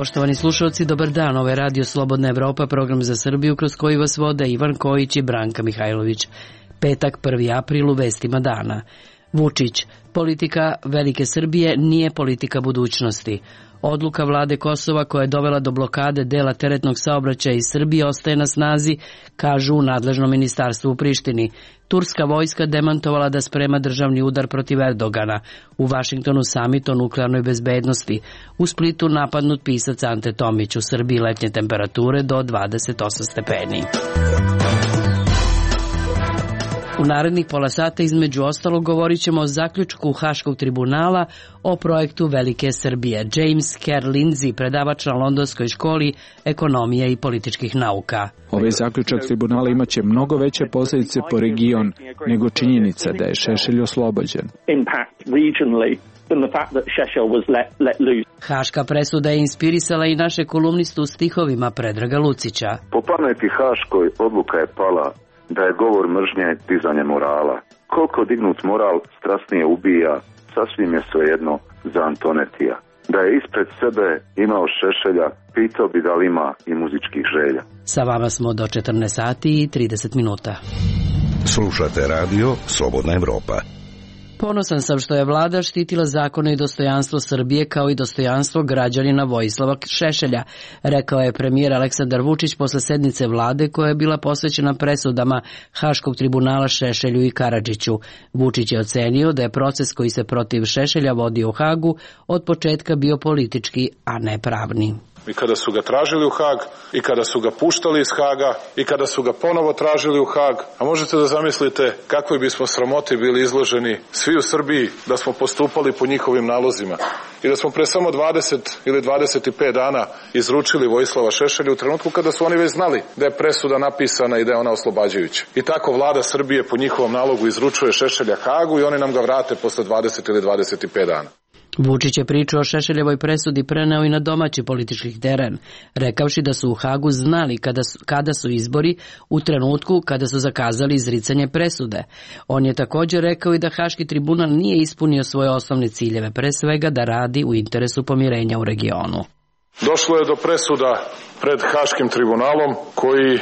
Poštovani slušalci, dobar dan. Ovo je Radio Slobodna Evropa, program za Srbiju kroz koji vas vode Ivan Kojić i Branka Mihajlović. Petak, 1. april, u vestima dana. Vučić, politika Velike Srbije nije politika budućnosti. Odluka vlade Kosova koja je dovela do blokade dela teretnog saobraćaja iz Srbije ostaje na snazi, kažu u nadležnom ministarstvu u Prištini. Turska vojska demantovala da sprema državni udar protiv Erdogana. U Vašingtonu samit o nuklearnoj bezbednosti. U Splitu napadnut pisac Ante Tomić. U Srbiji letnje temperature do 28 stepeni. U narednih pola sata između ostalog govorit ćemo o zaključku Haškog tribunala o projektu Velike Srbije. James Kerr Lindsay, predavač na Londonskoj školi ekonomije i političkih nauka. Ovaj zaključak tribunala imaće mnogo veće posljedice po region nego činjenica da je Šešelj oslobođen. Haška presuda je inspirisala i naše kolumnistu u stihovima Predraga Lucića. Po pameti Haškoj odluka je pala da je govor mržnje dizanje morala. Koliko dignut moral strasnije ubija, sasvim je svejedno za Antonetija. Da je ispred sebe imao Šešelja, pitao bi da li ima i muzičkih želja. Sa vama smo do 14 sati i 30 minuta. Slušate radio Slobodna Evropa. Ponosan sam što je vlada štitila zakone i dostojanstvo Srbije kao i dostojanstvo građanina Vojislava Šešelja, rekao je premijer Aleksandar Vučić posle sednice vlade koja je bila posvećena presudama Haškog tribunala Šešelju i Karadžiću. Vučić je ocenio da je proces koji se protiv Šešelja vodio u Hagu od početka bio politički, a ne pravni. I kada su ga tražili u Hag, i kada su ga puštali iz Haga, i kada su ga ponovo tražili u Hag, a možete da zamislite kakvoj bismo sramoti bili izloženi svi u Srbiji da smo postupali po njihovim nalozima i da smo pre samo 20 ili 25 dana izručili Vojislava Šešelja u trenutku kada su oni već znali da je presuda napisana i da je ona oslobađajuća. I tako vlada Srbije po njihovom nalogu izručuje Šešelja Hagu i oni nam ga vrate posle 20 ili 25 dana. Vučić je priču o Šešeljevoj presudi preneo i na domaći politički teren, rekavši da su u Hagu znali kada su izbori u trenutku kada su zakazali izricanje presude. On je također rekao i da Haški tribunal nije ispunio svoje osnovne ciljeve, pre svega da radi u interesu pomirenja u regionu. Došlo je do presuda pred Haškim tribunalom koji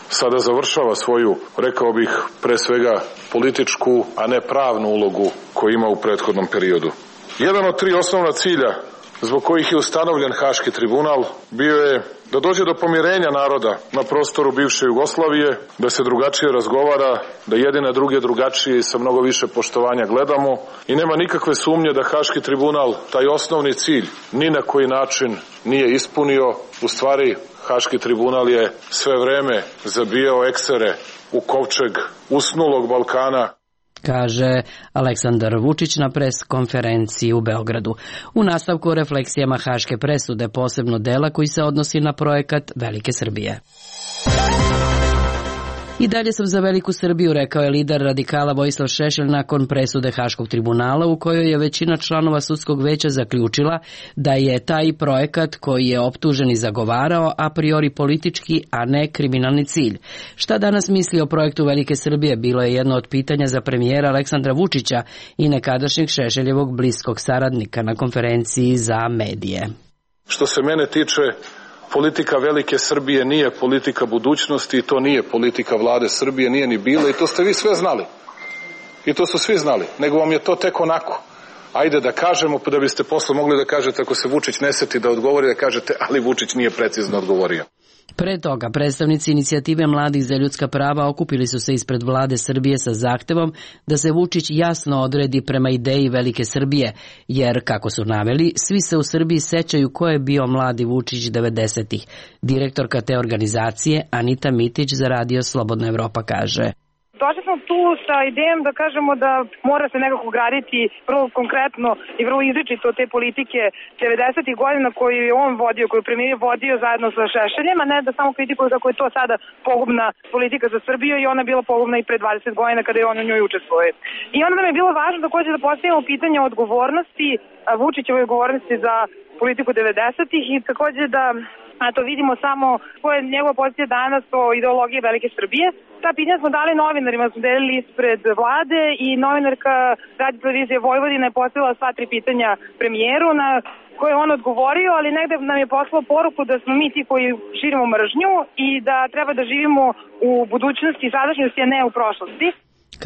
sada završava svoju, rekao bih, pre svega političku, a ne pravnu ulogu koju ima u prethodnom periodu. Jedan od 3 osnovna cilja zbog kojih je ustanovljen Haški tribunal bio je da dođe do pomirenja naroda na prostoru bivše Jugoslavije, da se drugačije razgovara, da jedine druge drugačije i sa mnogo više poštovanja gledamo i nema nikakve sumnje da Haški tribunal taj osnovni cilj ni na koji način nije ispunio. U stvari, Haški tribunal je sve vreme zabijao eksere u kovčeg usnulog Balkana, kaže Aleksandar Vučić na pres konferenciji u Beogradu. U nastavku o refleksijama Haške presude, posebno dela koji se odnosi na projekat Velike Srbije. I dalje sam za Veliku Srbiju, rekao je lider radikala Vojislav Šešelj nakon presude Haškog tribunala u kojoj je većina članova sudskog veća zaključila da je taj projekat koji je optužen i zagovarao a priori politički, a ne kriminalni cilj. Šta danas misli o projektu Velike Srbije bilo je jedno od pitanja za premijera Aleksandra Vučića i nekadašnjeg Šešeljevog bliskog saradnika na konferenciji za medije. Što se mene tiče, politika Velike Srbije nije politika budućnosti i to nije politika vlade Srbije, nije ni bila i to ste vi sve znali. I to su svi znali, nego vam je to tek onako. Ajde da kažemo, pa da biste posle mogli da kažete ako se Vučić ne seti da odgovori, da kažete ali Vučić nije precizno odgovorio. Pre toga, predstavnici inicijative Mladih za ljudska prava okupili su se ispred vlade Srbije sa zahtevom da se Vučić jasno odredi prema ideji Velike Srbije, jer, kako su naveli, svi se u Srbiji sećaju ko je bio mladi Vučić 90-ih. Direktorka te organizacije, Anita Mitić, za radio Slobodna Evropa kaže: Došli smo tu sa idejom da kažemo da mora se nekako graditi vrlo konkretno i vrlo izričito te politike 90-ih godina koju je on vodio, koju je premijer vodio zajedno sa Šešeljem, a ne da samo kritikuju kako je to sada pogubna politika za Srbiju i ona je bila pogubna i pre 20 godina kada je on u njoj učestvovao. I onda nam je bilo važno također da postavimo pitanje odgovornosti, Vučićeve odgovornosti za politiku 90-ih i također da a to vidimo samo koja je njegova pozicija danas o ideologiji Velike Srbije. Ta pitanja smo dali novinarima, smo delili ispred vlade i novinarka Radio televizije Vojvodine je postavila sva 3 pitanja premijeru na koje je on odgovorio, ali negde nam je poslao poruku da smo mi ti koji širimo mržnju i da treba da živimo u budućnosti i sadašnjosti, a ne u prošlosti.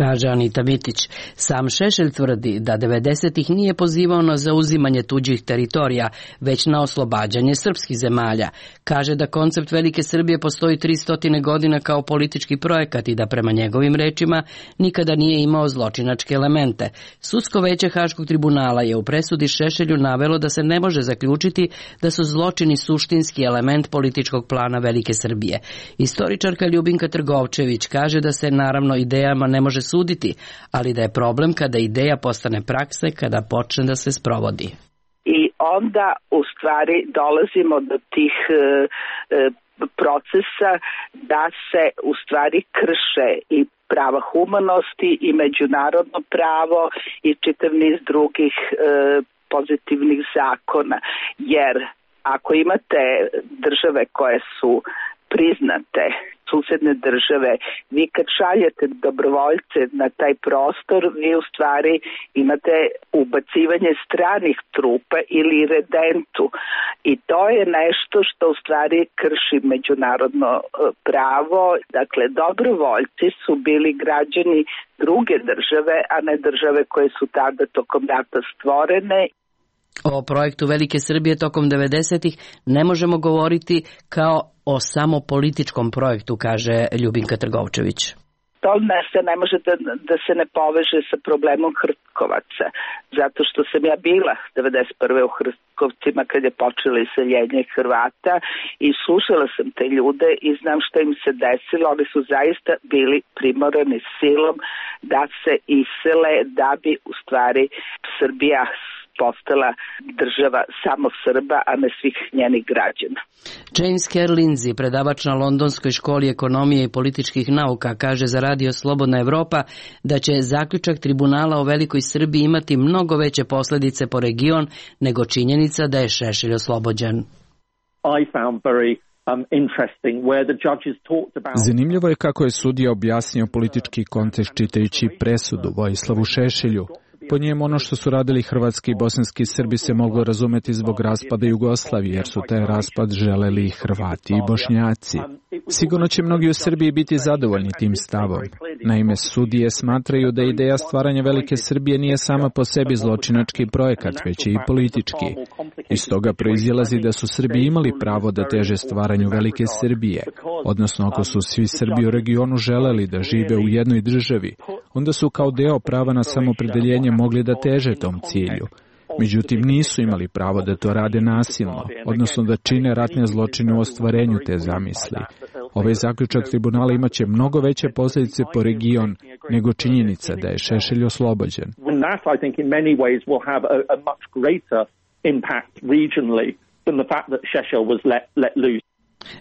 Kaže Anita Mitić. Sam Šešelj tvrdi da 90-ih nije pozivao na zauzimanje tuđih teritorija, već na oslobađanje srpskih zemalja. Kaže da koncept Velike Srbije postoji 300 godina kao politički projekat i da prema njegovim rečima nikada nije imao zločinačke elemente. Sudsko veće Haškog tribunala je u presudi Šešelju navelo da se ne može zaključiti da su zločini suštinski element političkog plana Velike Srbije. Istoričarka Ljubinka Trgovčević kaže da se naravno idejama ne može suditi, ali da je problem kada ideja postane praksa, kada počne da se sprovodi. I onda u stvari dolazimo do tih procesa da se u stvari krše i prava humanosti i međunarodno pravo i čitav niz drugih pozitivnih zakona. Jer ako imate države koje su priznate, susedne države, vi kad šaljete dobrovoljce na taj prostor, vi u stvari imate ubacivanje stranih trupa ili redentu. I to je nešto što u stvari krši međunarodno pravo. Dakle, dobrovoljci su bili građani druge države, a ne države koje su tada tokom rata stvorene. O projektu Velike Srbije tokom 90-ih ne možemo govoriti kao o samo političkom projektu, kaže Ljubinka Trgovčević. To ne može da se ne poveže sa problemom Hrtkovaca, zato što sam ja bila 91. u Hrtkovcima kad je počelo iseljenje Hrvata i slušala sam te ljude i znam što im se desilo. Oni su zaista bili primorani silom da se isele da bi u stvari Srbija postala država samo Srba, a ne svih njenih građana. James Kerr Lindsay, predavač na Londonskoj školi ekonomije i političkih nauka, kaže za Radio Slobodna Evropa da će zaključak tribunala o Velikoj Srbiji imati mnogo veće posljedice po region nego činjenica da je Šešelj oslobođen. Zanimljivo je kako je sudija objasnio politički kontekst čitajući presudu Vojislavu Šešelju. Po njemu ono što su radili hrvatski i bosanski Srbi se moglo razumeti zbog raspada Jugoslavije, jer su taj raspad želeli i Hrvati i Bošnjaci. Sigurno će mnogi u Srbiji biti zadovoljni tim stavom. Naime, sudije smatraju da ideja stvaranja Velike Srbije nije sama po sebi zločinački projekat, već je i politički. Iz toga proizilazi da su Srbi imali pravo da teže stvaranju Velike Srbije, odnosno ako su svi Srbi u regionu želeli da žive u jednoj državi, onda su kao deo prava na samopredeljenje mogli da teže tom cilju. Međutim, nisu imali pravo da to rade nasilno, odnosno da čine ratne zločine u ostvarenju te zamisli. Ovaj zaključak tribunala imaće mnogo veće posljedice po region nego činjenica da je Šešelj oslobođen.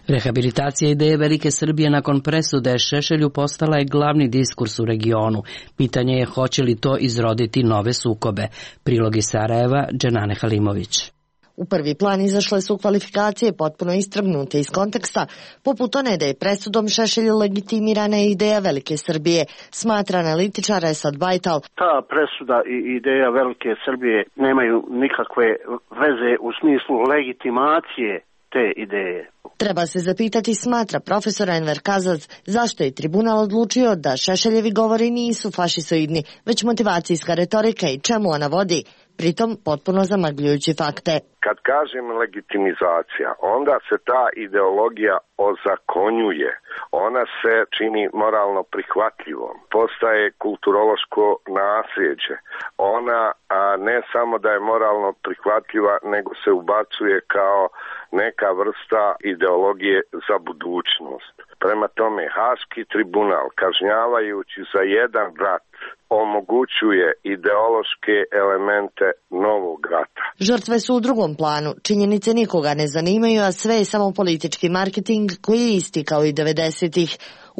Rehabilitacija ideje Velike Srbije nakon presude Šešelju postala je glavni diskurs u regionu. Pitanje je hoće li to izroditi nove sukobe. Prilog iz Sarajeva, Dženane Halimović. U prvi plan izašle su kvalifikacije potpuno istrgnute iz konteksta, poput one da je presudom Šešelju legitimirana ideja Velike Srbije, smatra analitičar Esad Bajtal. Ta presuda i ideja Velike Srbije nemaju nikakve veze u smislu legitimacije te ideje. Treba se zapitati, smatra profesor Enver Kazac, zašto je tribunal odlučio da Šešeljevi govori nisu fašisoidni, već motivacijska retorika i čemu ona vodi, pritom potpuno zamagljujući fakte. Kad kažem legitimizacija, onda se ta ideologija ozakonjuje. Ona se čini moralno prihvatljivom. Postaje kulturološko nasljeđe. Ona ne samo da je moralno prihvatljiva, nego se ubacuje kao neka vrsta ideologije za budućnost. Prema tome, Haški tribunal, kažnjavajući za jedan rat, omogućuje ideološke elemente novog rata. Žrtve su u drugom planu. Činjenice nikoga ne zanimaju, a sve je samo politički marketing koji je isti kao i 90-ih.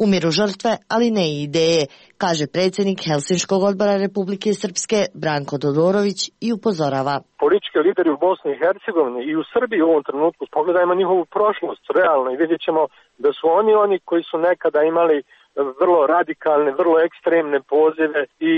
Umiru žrtve, ali ne i ideje, kaže predsjednik Helsinškog odbora Republike Srpske Branko Todorović i upozorava. Politički lideri u Bosni i Hercegovini i u Srbiji u ovom trenutku, pogledajmo njihovu prošlost realno i vidjet ćemo da su oni koji su nekada imali vrlo radikalne, vrlo ekstremne pozive i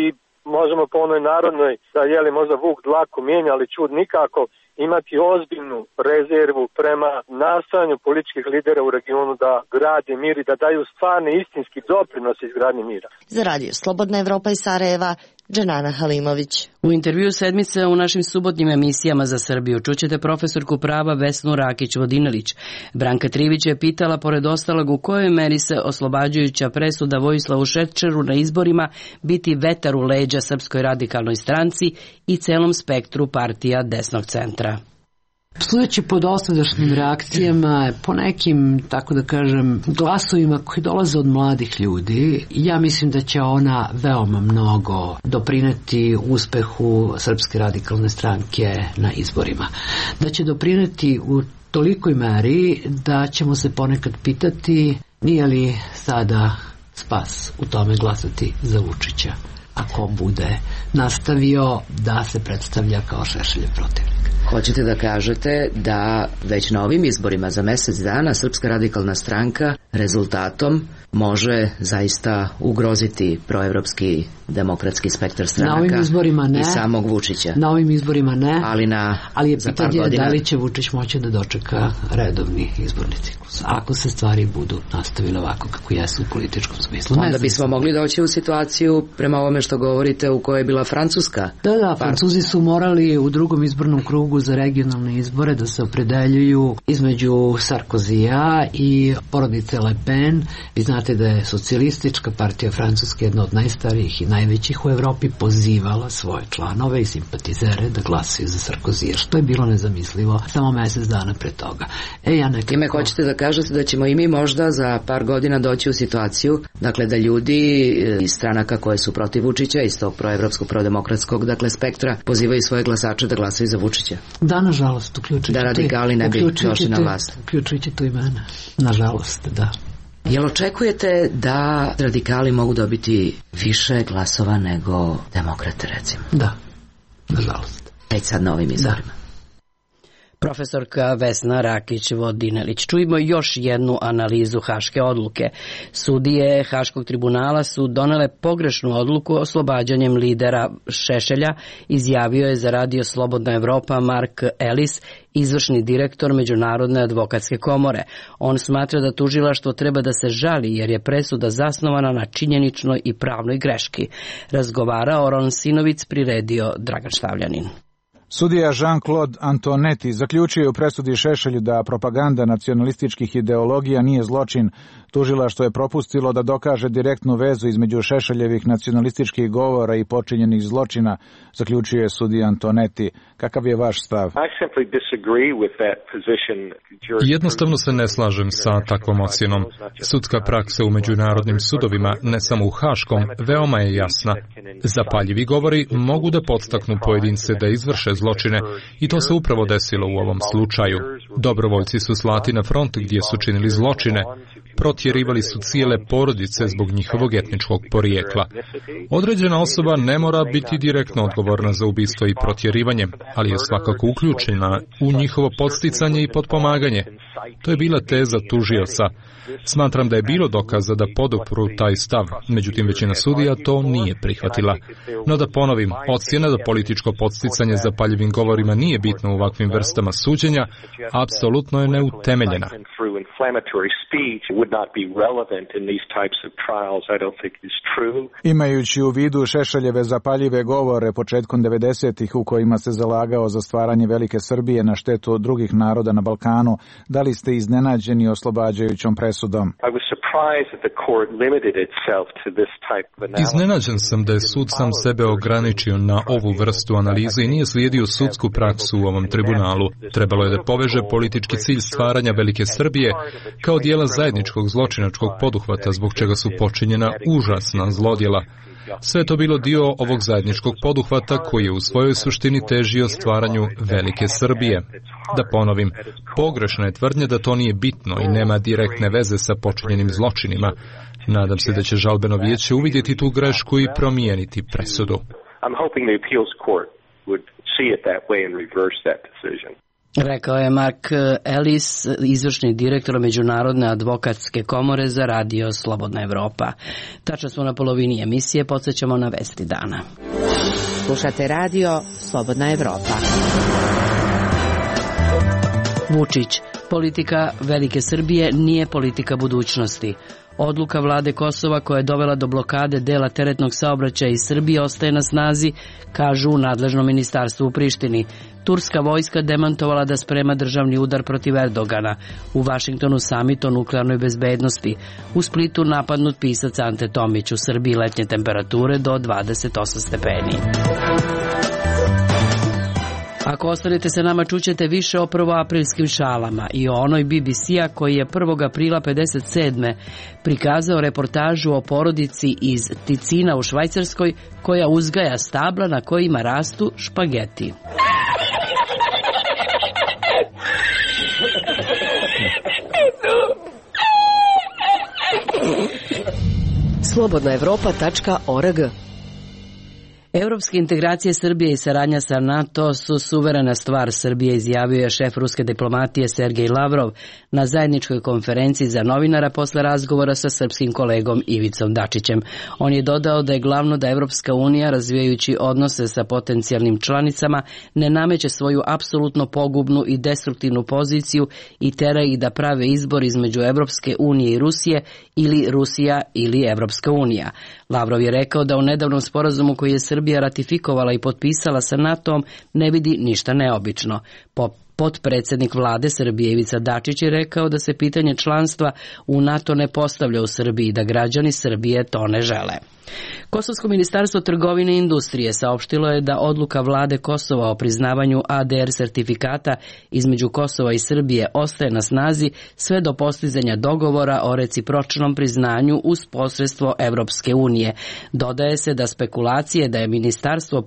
možemo po onoj narodnoj da možda vuk dlaku mijenja, ali čud nikako, imati ozbiljnu rezervu prema nastojanju političkih lidera u regionu da grade mir i da daju stvarni istinski doprinos izgradnji mira. Za radio Slobodna Evropa iz Sarajeva, Dženana Halimović. U intervju sedmice u našim subotnjim emisijama za Srbiju čućete profesorku prava Vesnu Rakić-Vodinelić. Branka Trivić je pitala, pored ostalog, u kojoj meri se oslobađajuća presuda Vojislavu Šešelju na izborima biti vetar u leđa Srpskoj radikalnoj stranci i celom spektru partija desnog centra. Sudeći po dosadašnjim reakcijama, po nekim, tako da kažem, glasovima koji dolaze od mladih ljudi, ja mislim da će ona veoma mnogo doprineti uspehu Srpske radikalne stranke na izborima. Da će doprineti u tolikoj meri da ćemo se ponekad pitati nije li sada spas u tome glasati za Vučića, ako bude nastavio da se predstavlja kao Šešeljev protivnik. Hoćete da kažete da već na ovim izborima za mjesec dana Srpska radikalna stranka rezultatom može zaista ugroziti proevropski demokratski spektar stranaka i samog Vučića? Na ovim izborima ne, ali je pitanje da li će Vučić moći da dočeka redovni izborni ciklus, ako se stvari budu nastavile ovako kako jesu u političkom smislu. Onda bismo mogli doći u situaciju, prema ovome što govorite, u kojoj je bila Francuska. Da, Francuzi su morali u drugom izbornom krugu za regionalne izbore da se opredeljuju između Sarkozija i porodice Le Pen. Vi znate da je socijalistička partija Francuske, jedna od najstarijih i najvećih u Evropi, pozivala svoje članove i simpatizere da glasaju za Sarkozija, što je bilo nezamislivo samo mjesec dana pre toga. Time hoćete da kažete da ćemo i mi možda za par godina doći u situaciju, dakle, da ljudi iz stranaka koje su protiv Vučića, iz tog proevropskog, prodemokratskog, dakle, spektra, pozivaju svoje glasače da glasaju za Vučića? Da, nažalost, uključujući da radikali ne bi došli na vlast. Uključujući tu i mene. Nažalost, da. Jel očekujete da radikali mogu dobiti više glasova nego demokrate, recimo? Da, nažalost. Već sad na ovim izborima. Profesorka Vesna Rakić-Vodinelić. Čujemo još jednu analizu haške odluke. Sudije Haškog tribunala su donele pogrešnu odluku oslobađanjem lidera Šešelja, izjavio je za radio Slobodna Evropa Mark Ellis, izvršni direktor Međunarodne advokatske komore. On smatra da tužilaštvo treba da se žali jer je presuda zasnovana na činjeničnoj i pravnoj greški. Razgovarao Ron Sinovic, priredio Dragan Štavljanin. Sudija Jean-Claude Antonetti zaključio u presudi Šešelju da propaganda nacionalističkih ideologija nije zločin. Tužilaštvo je propustilo da dokaže direktnu vezu između Šešeljevih nacionalističkih govora i počinjenih zločina, zaključio je sudija Antonetti. Kakav je vaš stav? Jednostavno se ne slažem sa takvom ocjenom. Sudska praksa u međunarodnim sudovima, ne samo u Haškom, veoma je jasna. Zapaljivi govori mogu da podstaknu pojedince da izvrše zločine i to se upravo desilo u ovom slučaju. Dobrovoljci su slati na front gdje su činili zločine, protjerivali su cijele porodice zbog njihovog etničkog porijekla. Određena osoba ne mora biti direktno odgovorna za ubistvo i protjerivanje, ali je svakako uključena u njihovo podsticanje i potpomaganje. To je bila teza tužioca. Smatram da je bilo dokaza da podupru taj stav, međutim većina sudija to nije prihvatila. No da ponovim, ocjena da političko podsticanje zapaljivim govorima nije bitno u ovakvim vrstama suđenja, apsolutno je neutemeljena. Imajući u vidu Šešeljeve zapaljive govore početkom 90-ih u kojima se zalagao za stvaranje velike Srbije na štetu od drugih naroda na Balkanu, da li ste iznenađeni oslobađajućom presudom? Iznenađen sam da je sud sam sebe ograničio na ovu vrstu analize i nije slijedio sudsku praksu u ovom tribunalu. Trebalo je da poveže politički cilj stvaranja velike Srbije kao dijela zajedničkog zločinačkog poduhvata zbog čega su počinjena užasna zlodjela. Sve to bilo dio ovog zajedničkog poduhvata koji je u svojoj suštini težio stvaranju velike Srbije. Da ponovim, pogrešna je tvrdnja da to nije bitno i nema direktne veze sa počinjenim zločinima. Nadam se da će žalbeno vijeće uvidjeti tu grešku i promijeniti presudu. Rekao je Mark Ellis, izvršni direktor Međunarodne advokatske komore za radio Slobodna Evropa. Tačno smo na polovini emisije, podsjećamo na vesti dana. Slušate radio Slobodna Evropa. Vučić, politika velike Srbije nije politika budućnosti. Odluka vlade Kosova koja je dovela do blokade dela teretnog saobraćaja iz Srbije ostaje na snazi, kažu u nadležnom ministarstvu u Prištini. Turska vojska demantovala da sprema državni udar protiv Erdogana. U Vašingtonu samit o nuklearnoj bezbednosti. U Splitu napadnut pisac Ante Tomić. U Srbiji letnje temperature do 28 stepeni. Ako ostanete sa nama, čućete više o prvoaprilskim šalama i o onoj BBC-a koji je 1. aprila 57. prikazao reportažu o porodici iz Ticina u Švajcarskoj koja uzgaja stabla na kojima rastu špageti. slobodnaevropa.org. Evropske integracije Srbije i saradnja sa NATO su suverena stvar Srbije, izjavio je šef ruske diplomatije Sergej Lavrov na zajedničkoj konferenciji za novinara posle razgovora sa srpskim kolegom Ivicom Dačićem. On je dodao da je glavno da Evropska unija, razvijajući odnose sa potencijalnim članicama, ne nameće svoju apsolutno pogubnu i destruktivnu poziciju i tera ih da prave izbor između Evropske unije i Rusije ili Rusija ili Evropska unija. Lavrov je rekao da u nedavnom sporazumu koji je Srbija ratifikovala i potpisala sa NATO-om ne vidi ništa neobično. Potpredsjednik vlade Srbije Ivica Dačić je rekao da se pitanje članstva u NATO ne postavlja u Srbiji i da građani Srbije to ne žele. Kosovsko ministarstvo trgovine i industrije saopštilo je da odluka vlade Kosova o priznavanju ADR sertifikata između Kosova i Srbije ostaje na snazi sve do postizanja dogovora o recipročnom priznanju uz posredstvo Evropske unije. Dodaje se da spekulacije da je ministarstvo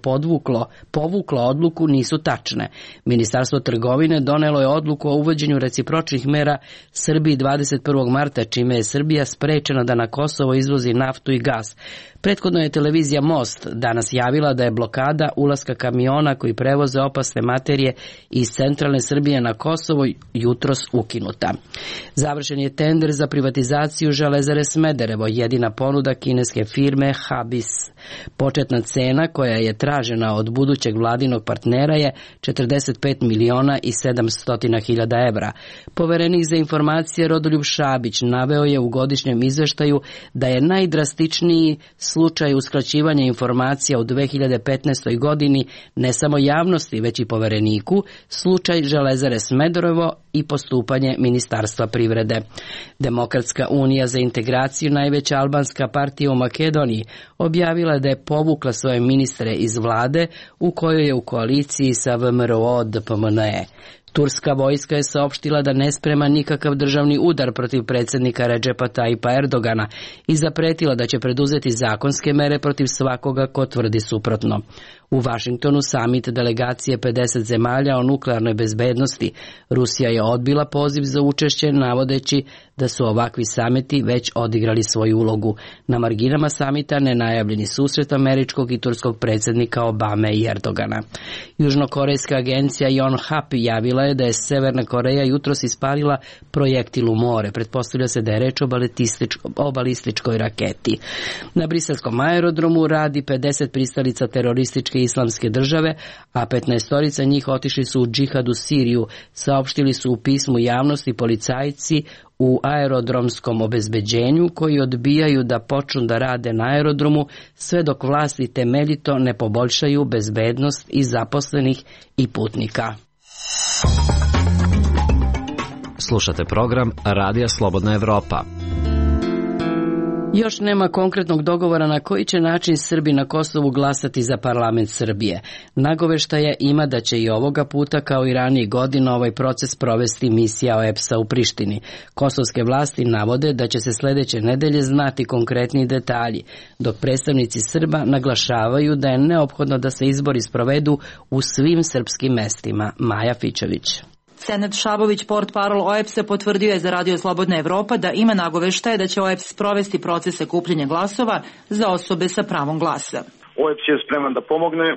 povuklo odluku nisu tačne. Ministarstvo trgovine donelo je odluku o uvođenju recipročnih mera Srbiji 21. marta, čime je Srbija sprečena da na Kosovo izvozi naftu i gas. Prethodno je televizija Most danas javila da je blokada ulaska kamiona koji prevoze opasne materije iz centralne Srbije na Kosovo jutros ukinuta. Završen je tender za privatizaciju Železare Smederevo, jedina ponuda kineske firme Habis. Početna cena koja je tražena od budućeg vladinog partnera je 45 miliona i 700 hiljada evra. Poverenik za informacije Rodoljub Šabić naveo je u godišnjem izveštaju da je najdrastičniji slučaj uskraćivanja informacija u 2015. godini ne samo javnosti, već i povereniku, slučaj Železare Smederevo i postupanje Ministarstva privrede. Demokratska unija za integraciju, najveća albanska partija u Makedoniji, objavila da je povukla svoje ministre iz vlade u kojoj je u koaliciji sa VMRO DPMNE. Turska vojska je saopštila da ne sprema nikakav državni udar protiv predsjednika Redžepa Tajipa Erdogana i zapretila da će preduzeti zakonske mere protiv svakoga ko tvrdi suprotno. U Vašingtonu samit delegacije 50 zemalja o nuklearnoj bezbednosti. Rusija je odbila poziv za učešće navodeći da su ovakvi samiti već odigrali svoju ulogu. Na marginama samita nenajavljeni susret američkog i turskog predsjednika Obame i Erdogana. Južnokorejska agencija Yonhap javila je da je Severna Koreja jutros ispalila projektil u more. Pretpostavlja se da je reč o balističkoj raketi. Na briselskom aerodromu radi 50 pristalica terorističke islamske države, a 15 njih otišli su u džihad u Siriju, saopštili su u pismu javnosti policajci u aerodromskom obezbeđenju koji odbijaju da počnu da rade na aerodromu sve dok vlasti temeljito ne poboljšaju bezbednost i zaposlenih i putnika. Slušate program Radija Slobodna Evropa. Još nema konkretnog dogovora na koji će način Srbi na Kosovu glasati za parlament Srbije. Nagoveštaja ima da će i ovoga puta, kao i ranijih godina, ovaj proces provesti misija OEBS-a u Prištini. Kosovske vlasti navode da će se sledeće nedelje znati konkretni detalji, dok predstavnici Srba naglašavaju da je neophodno da se izbori sprovedu u svim srpskim mestima. Maja Fičević. Senad Šabović, portparol OEBS-a, potvrdio je za Radio Slobodna Evropa da ima nagoveštaje da će OEBS sprovesti procese kupljenja glasova za osobe sa pravom glasa. OEBS je spreman da pomogne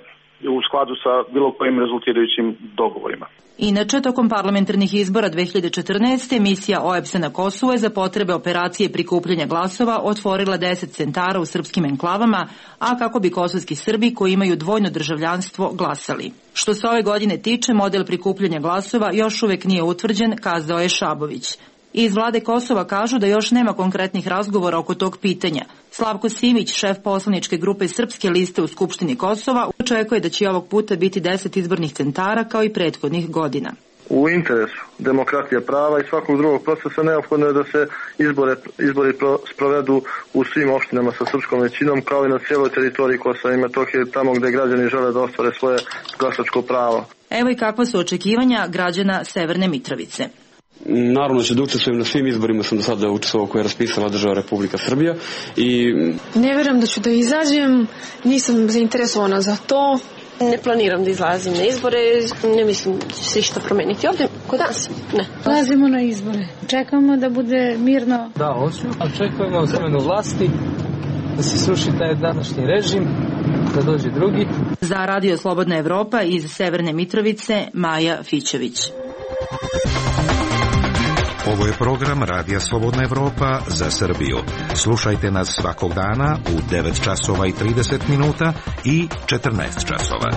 u skladu sa bilo kojim rezultirajućim dogovorima. Inače, tokom parlamentarnih izbora 2014. misija OEBS-a na Kosovu je za potrebe operacije prikupljanja glasova otvorila 10 centara u srpskim enklavama, a kako bi kosovski Srbi koji imaju dvojno državljanstvo glasali. Što se ove godine tiče, model prikupljanja glasova još uvek nije utvrđen, kazao je Šabović. Iz vlade Kosova kažu da još nema konkretnih razgovora oko tog pitanja. Slavko Simić, šef poslaničke grupe Srpske liste u Skupštini Kosova, očekuje da će ovog puta biti 10 izbornih centara kao i prethodnih godina. U interesu demokratije prava i svakog drugog procesa neophodno je da se izbori sprovedu u svim opštinama sa srpskom većinom, kao i na cijeloj teritoriji Kosova i Metohije, tamo gde građani žele da ostvare svoje glasačko pravo. Evo i kakva su očekivanja građana Severne Mitrovice. Naravno će da učestvujem na svim izborima, sam do sada učestvovao koje je raspisala država Republika Srbija i... Ne verujem da ću da izađem, nisam zainteresovana za to. Ne planiram da izlazim na izbore, ne mislim da će se išta promeniti ovdje, kod nas, ne. Lazimo na izbore, čekamo da bude mirno. Da, hoću, očekujemo smenu vlasti, da se sruši taj današnji režim, da dođe drugi. Za Radio Slobodna Evropa iz Severne Mitrovice, Maja Fičević. Ovo je program Radija Slobodna Evropa za Srbiju. Slušajte nas svakog dana u 9 časova i 30 minuta i 14 časova.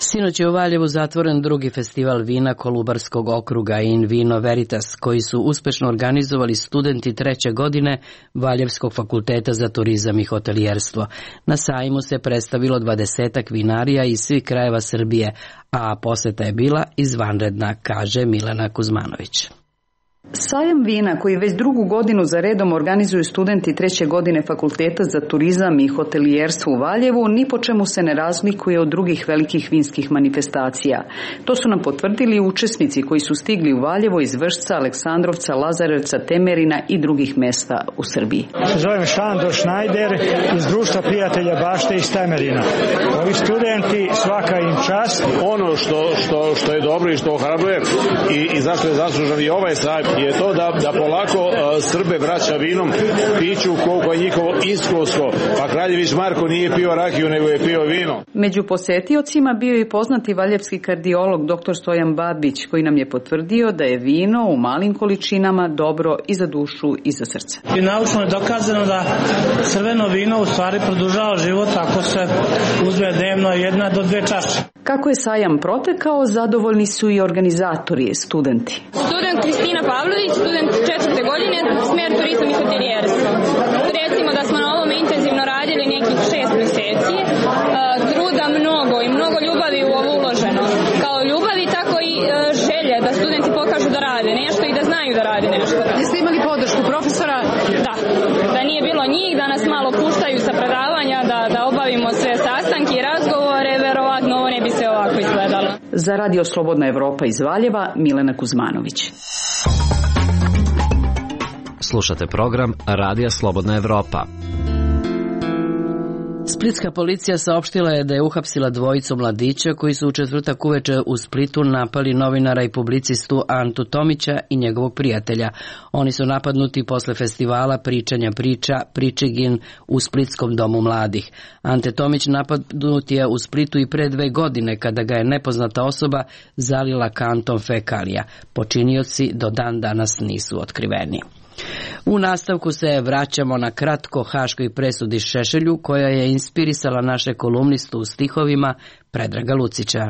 Sinoć je u Valjevu zatvoren drugi festival vina Kolubarskog okruga In Vino Veritas, koji su uspešno organizovali studenti 3. godine Valjevskog fakulteta za turizam i hotelijerstvo. Na sajmu se predstavilo 20 vinarija iz svih krajeva Srbije, a poseta je bila izvanredna, kaže Milena Kuzmanović. Sajam vina, koji već drugu godinu za redom organizuju studenti 3. godine Fakulteta za turizam i hotelijerstvo u Valjevu, ni po čemu se ne razlikuje od drugih velikih vinskih manifestacija. To su nam potvrdili učesnici koji su stigli u Valjevo iz Vršca, Aleksandrovca, Lazarevca, Temerina i drugih mesta u Srbiji. Zovem Šandor Šnajder iz Društva prijatelja bašte iz Temerina. Ovi studenti, svaka im čast. Ono što je dobro i što ohrabruje i zašto je zaslužan i ovaj sajam je to da polako Srbe vraća vinom piću koliko je njihovo iskustvo. Pa Kraljević Marko nije pio rakiju, nego je pio vino. Među posetiocima bio i poznati valjevski kardiolog dr. Stojan Babić, koji nam je potvrdio da je vino u malim količinama dobro i za dušu i za srce. I naučno je dokazano da crveno vino u stvari produžava život ako se uzme dnevno 1 do 2 čaše. Kako je sajam protekao, zadovoljni su i organizatori, studenti. Student Kristina Pavlović, student 4. godine, smer turizam i hotelijerstvo. Recimo da smo na ovom intenzivno radili nekih 6 meseci, truda mnogo i mnogo ljubavi u ovo uloženo. Kao ljubavi, tako i želje da studenti pokažu da rade nešto i da znaju da rade nešto. Jeste imali podršku profesora? Da. Da nije bilo njih, da nas malo puštaju sa predavanja, da obavimo sve sastanke i razgovore, verovatno ovo ne bi se ovako izgledalo. Za Radio Slobodna Evropa iz Valjeva, Milena Kuzmanović. Slušate program Radija Slobodna Evropa. Splitska policija saopštila je da je uhapsila dvojicu mladića koji su u četvrtak uveče u Splitu napali novinara i publicistu Antu Tomića i njegovog prijatelja. Oni su napadnuti posle festivala pričanja priča Pričigin u Splitskom domu mladih. Ante Tomić napadnut je u Splitu i pre 2 godine kada ga je nepoznata osoba zalila kantom fekalija. Počinioci do dan danas nisu otkriveni. U nastavku se vraćamo na kratko haškoj presudi Šešelju, koja je inspirisala naše kolumnistu u stihovima Predraga Lucića.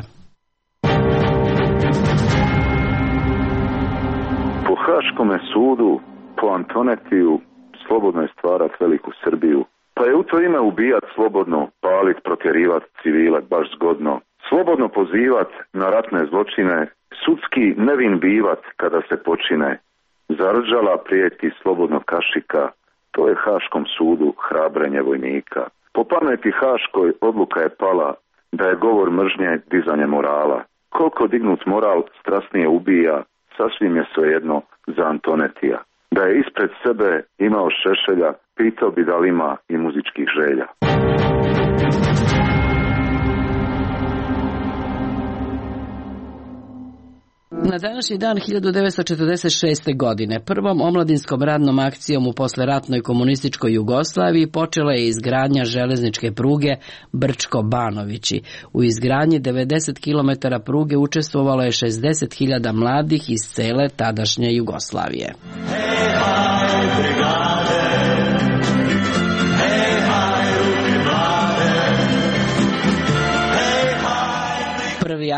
Po haškome sudu, po Antonetiju, slobodno je stvarat veliku Srbiju. Pa je u to ime ubijat slobodno, palit, protjerivat civile baš zgodno. Slobodno pozivat na ratne zločine, sudski nevin bivat kada se počine, zarđala prijeti slobodnog kašika, to je Haškom sudu hrabrenje vojnika. Po pameti Haškoj odluka je pala da je govor mržnje dizanje morala. Koliko dignut moral strasnije ubija, sasvim je svejedno za Antonetija. Da je ispred sebe imao Šešelja, pitao bi da li ima i muzičkih želja. Na današnji dan 1946. godine prvom omladinskom radnom akcijom u posleratnoj komunističkoj Jugoslaviji počela je izgradnja železničke pruge Brčko-Banovići. U izgradnji 90 km pruge učestvovalo je 60.000 mladih iz cele tadašnje Jugoslavije.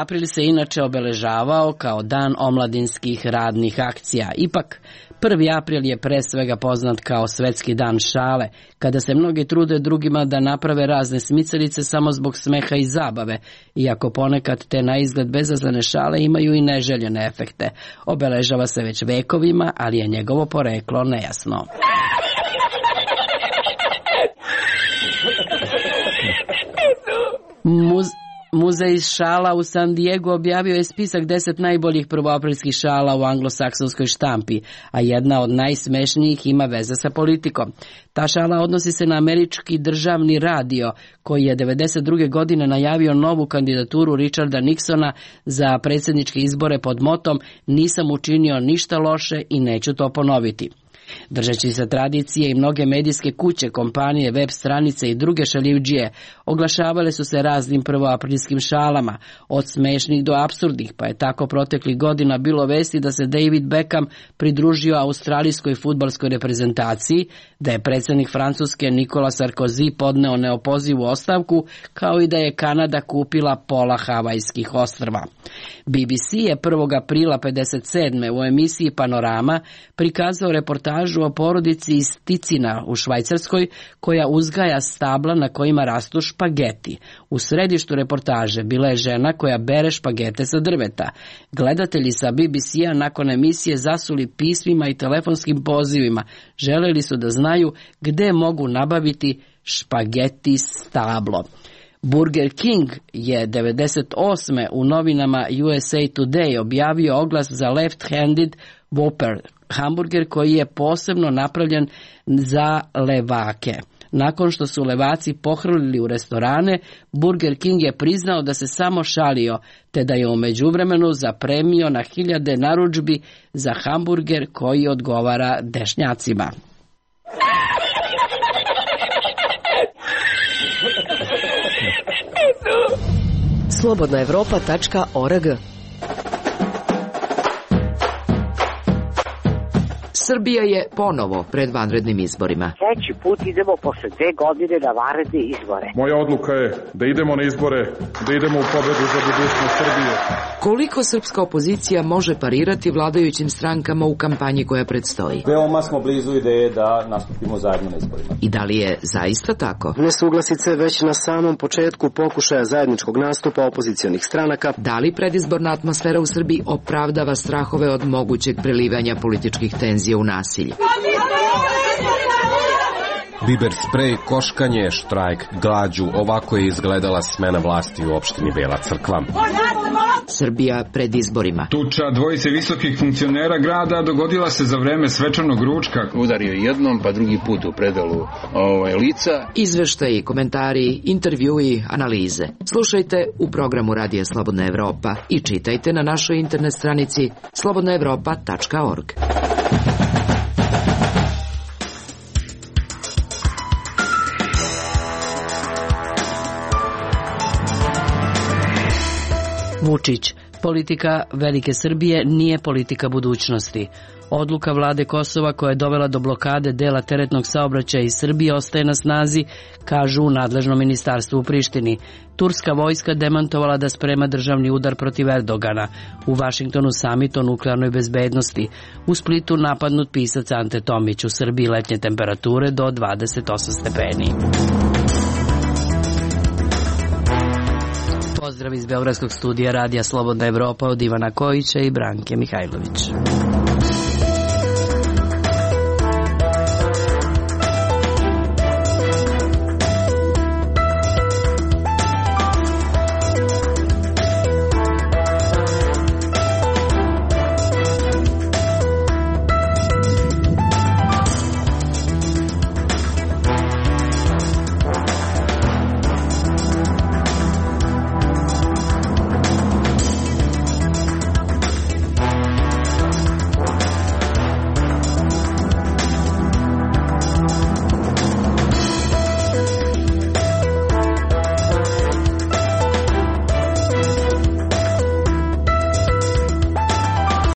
April se inače obeležavao kao dan omladinskih radnih akcija. Ipak, 1. april je pre svega poznat kao svetski dan šale, kada se mnogi trude drugima da naprave razne smicalice samo zbog smeha i zabave, iako ponekad te na izgled bezazlene šale imaju i neželjene efekte. Obeležava se već vekovima, ali je njegovo poreklo nejasno. Muzej šala u San Diego objavio je spisak 10 najboljih prvoaprilskih šala u anglosaksonskoj štampi, a jedna od najsmešnijih ima veze sa politikom. Ta šala odnosi se na američki državni radio, koji je 1992. godine najavio novu kandidaturu Richarda Nixona za predsjedničke izbore pod motom "Nisam učinio ništa loše i neću to ponoviti". Držeći se tradicije i mnoge medijske kuće, kompanije, web stranice i druge šaljivdžije oglašavale su se raznim prvoaprilskim šalama, od smešnih do apsurdnih, pa je tako proteklih godina bilo vesti da se David Beckham pridružio australijskoj fudbalskoj reprezentaciji, da je predsjednik Francuske Nicolas Sarkozy podneo neopozivu ostavku, kao i da je Kanada kupila pola Havajskih ostrva. BBC je 1. aprila 1957. u emisiji Panorama prikazao reportažu o porodici iz Ticina u Švajcarskoj koja uzgaja stabla na kojima rastu špageti. U središtu reportaže bila je žena koja bere špagete sa drveta. Gledatelji sa BBC-a nakon emisije zasuli pismima i telefonskim pozivima. Želeli su da znaju gde mogu nabaviti špageti stablo. Burger King je 1998. u novinama USA Today objavio oglas za left-handed Whopper, hamburger koji je posebno napravljen za levake. Nakon što su levaci pohrlili u restorane, Burger King je priznao da se samo šalio, te da je u međuvremenu zapremio na 1000 narudžbi za hamburger koji odgovara dešnjacima. slobodnaevropa.org. Srbija je ponovo pred vanrednim izborima. Treći put idemo posle 2 godine na vanredne izbore. Moja odluka je da idemo na izbore, da idemo u pobedu za budućnost Srbije. Koliko srpska opozicija može parirati vladajućim strankama u kampanji koja predstoji? Veoma smo blizu ideje da nastupimo zajedno na izborima. I da li je zaista tako? Nesuglasice već na samom početku pokušaja zajedničkog nastupa opozicionih stranaka. Da li predizborna atmosfera u Srbiji opravdava strahove od mogućeg prelivanja političkih tenzija u nasilje? Biber sprej, koškanje, štrajk, glađu, ovako je izgledala smena vlasti u opštini Bela Crkva. Srbija pred izborima. Tuča dvojice visokih funkcionera grada dogodila se za vreme svečanog ručka. Udario jednom, pa drugi put u predalu lica. Izveštaji, komentari, intervjui, analize. Slušajte u programu Radija Slobodna Evropa i čitajte na našoj internet stranici slobodnaevropa.org. Vučić. Politika Velike Srbije nije politika budućnosti. Odluka vlade Kosova koja je dovela do blokade dela teretnog saobraćaja iz Srbije ostaje na snazi, kažu u nadležnom ministarstvu u Prištini. Turska vojska demantovala da sprema državni udar protiv Erdogana. U Vašingtonu samit o nuklearnoj bezbednosti. U Splitu napadnut pisac Ante Tomić. U Srbiji letnje temperature do 28 stepeni. Pozdrav iz Beogradskog studija Radija Slobodna Evropa od Ivana Kojića i Branke Mihajlović.